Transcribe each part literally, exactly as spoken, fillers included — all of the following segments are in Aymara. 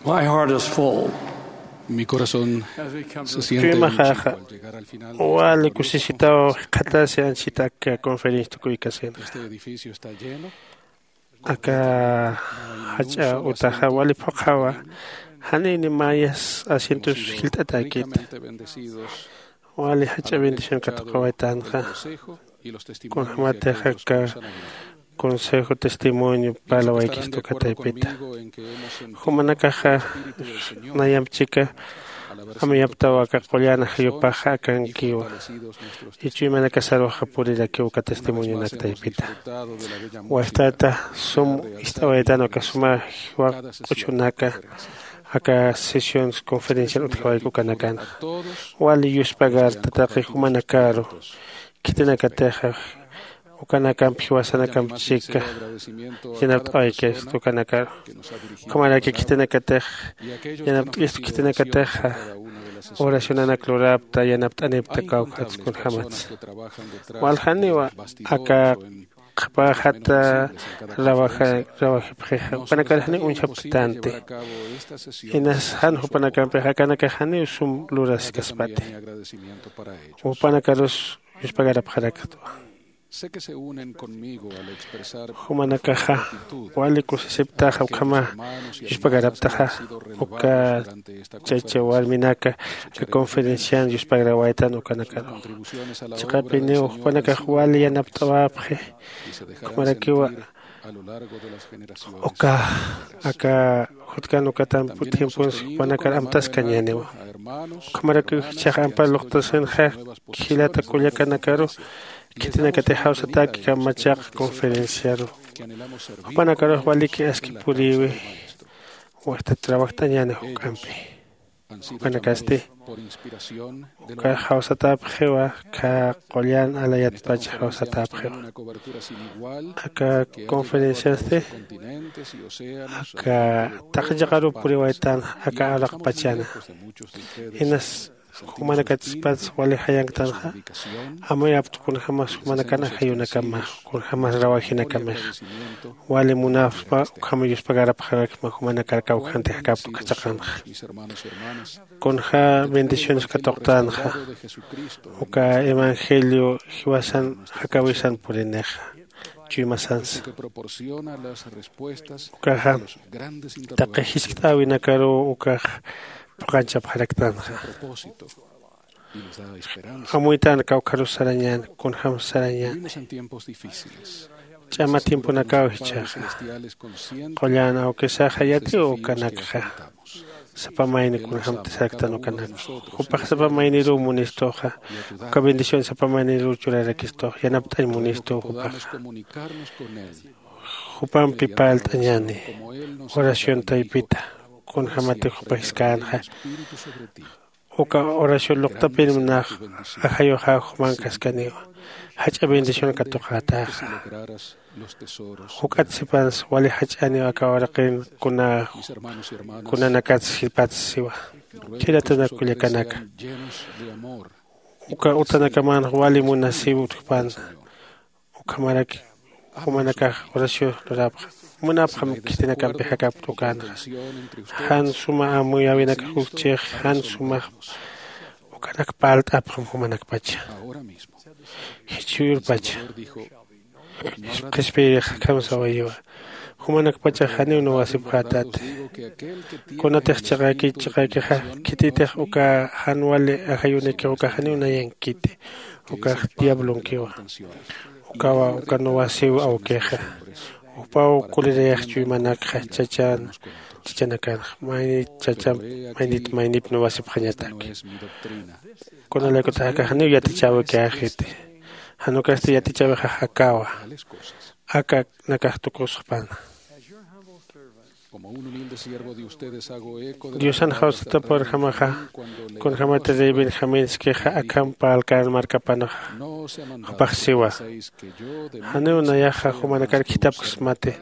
My heart is full. Mi corazón se siente Chuymaxaxa, mucho al llegar al final de wali esta kusisitaw conferencia. Jikxatasi anchita aka conferencia tukuykasinxa. Este edificio está lleno. Aka jach'a utaxa wali phuqhawa. Janini mayas asientos jilt'atäkita. Ricamente bendecidos. Wali jach'a bendición katuqawaytanxa. Kunjämatix aka consejo testimonio parlawaykistu kataypita. Jumanakaxa nayamp chika amuyaptaw aka qullan ajayupaxa akankiwa. Ichuymanakasaruxa purirakiw aka testimonionak taypita. Wajtata sum ist'awaytan aka suma jiwa q'uchunaka aka sesiones conferencian utjawayku ukanakanxa. Wali yuspagarta taqi jumanakaru khitinakatixa ukanakamp jiwasanakamp chika yanapt'awaykistu ukanakaru. Ukhamaraki khitinakatix yanapt'ayistu khitinakatixa oracionanak lurapta yanapt'anipta kawkhatsa kunjämatsa. Waljaniwa aka qhapajata rawajipxixa jupanakar janiw uñjapktanti. Inas jan jupanakampixa akanakax janiw sum luraskaspati. Jupanakarus yuspagarapxaraktwa. Jumanakaxa wali kusisiptaxa ukhama yuspagaraptaxa uka chacha warminaka aka conferencian yuspagarawaytan ukanakaru. Chiqapiniw jupanakax wali yanapt'awapxi. Ukhamarakiwa uka aka jutkan ukatan tiemponsi jupanakar amtaskañäniwa. Ukhamarakiw jichhax ampar luqtasinxa jilata kullakanakaru khitinakatix jawsatäki kamachaq conferenciaru. Jupanakarux waliki aski purïwi. Wajtat trabajt'añäni juk'ampi. Jupanakasti uka jawsatäpxiwa. Kha qullan alayatpach jawsatäpxiwa. Aka conferenciasti aka taqi chiqaruw puriwaytan aka araqpachana. Inas jumanakatspas wali jayanktanxa amuyapta kunjämas jumanakan ajayunakamax kunjämas rawajinakamixa. Wali munapxpa ukham yuspagarapxarakma jumanakar kawkhantix jakapta ukhachaqanxa. Kunjä bendiciones katuqtänxa uka evangelio jiwasan jakäwisan purinixa. Chuymasansa ukaxa taqi jiskt'äwinakaruw ukax phuqanchapxaraktanxa. Amuytan kawkharus sarañän kunjämsa sarañän. Ch'ama tiemponakaw jichhaxa qullan awkisaxa yatiw ukanakxa. Sapa mayni kunjämti saraktan ukanakxa jupax sapa mayniruw munistuxa. Uka bendición sapa mayniruw churarakistux yanapt'añ munistuw jupaxa. Jupampi parlt'añäni oración taypita kunjämatix jupa jiskäänxa. Uka oración luqtapinmnax ajayuxaw jumankaskaniwa. Jach'a bendición katuqätäxa. Juk'at sipansa wali jach'aniw aka uraqin kuna kunanakats sipats siwa. Khiratanak kullakanaka uka utanakamanx wali munasiw utjpan. Ukhamaraki jumanakax oración lurapxam munapxam khitinakampi jakapkta ukanxa. Jan suma amuyäwinakax ukchix jan sumax ukanak parlt'apxam jumanakpacha. Jichhürpacha qhispiyirix akham sawayiwa. Jumanakpachax janiw nuwasipxätati. Kunatix chiqäkich chiqäkixa khititix uka jan wali ajayunikix uka janiw nayankiti. Ukax diablonkiwa. Ukawa uka nuwasiw awkixa. Jupaw kulirayax chuymanakxa chachan chachanakanxa maynit chachamp maynit maynip nuwasipxañataki. Kunalaykutax aka janiw yatichäwikäxiti. Jan ukasti yatichäwixax akawa. Akanakax tukusxpana. Diosan jawsatapxarjamaxa kunjämati rey benjaminskixa akham parlkän markapanxa. Jupax siwa janiw nayaxa jumanakar khithapksmati.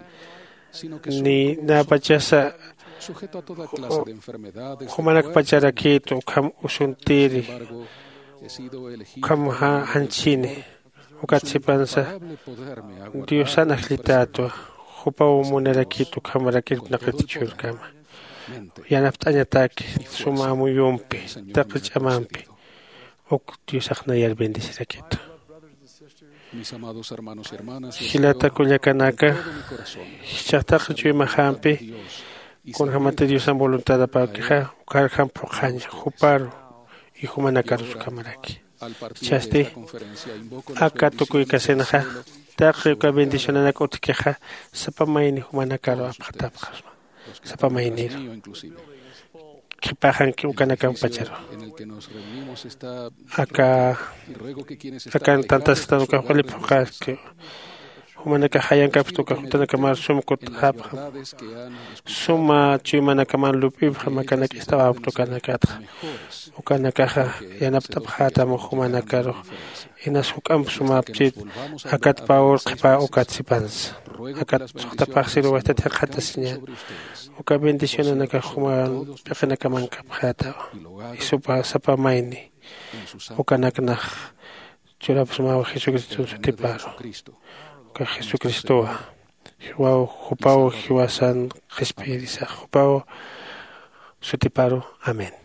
Ni näpachasa jumanakpacharakïtu ukham usuntiri. Ukhamxa janchini. Ukat sipansa diosan ajllitätwa. Jupaw munarakïtu ukhamarak irpnaqit chhurkama. Yanapt'añataki suma amuyumpi, taqi ch'amampi uk diosax nayar bendecirakitu. Jilata kullakanaka, jichhax taqi chuymaxampi kunjämati diosan voluntadapäkixa, ukharjam phuqhaña juparu y jumanakarus ukhamaraki. Jichhasti aka tukuykasinxa taqi uka bendicionanak utjkixa sapa mayni jumanakaru apxatapxasma. Sapa mayniru qhipaxanki ukanakampacharu. Aka akan tantasktan ukax wali phuqhaski. Jumanakax jayankapxta ukax jutanakamar sum kutt'xapxam. Suma chuymanakaman lup'ipxam akanak ist'awapxta ukanakatxa. Ukanakaxa yanapt'apxätam jumanakaru. Inas juk'amp sumapchit akat pawur qhipa ukat sipansa. Akat suxtapaxsiruwayta thaqhatasiñän. Uka bendicionanakax juman p'iqinakaman kapxätawa. Isupa sapa mayni ukanaknax churapsmaw jesucriston sutiparu. Uka jesucristowa jiwaw jupaw jiwasan qhispiyirisax jupaw sutiparu. Amén.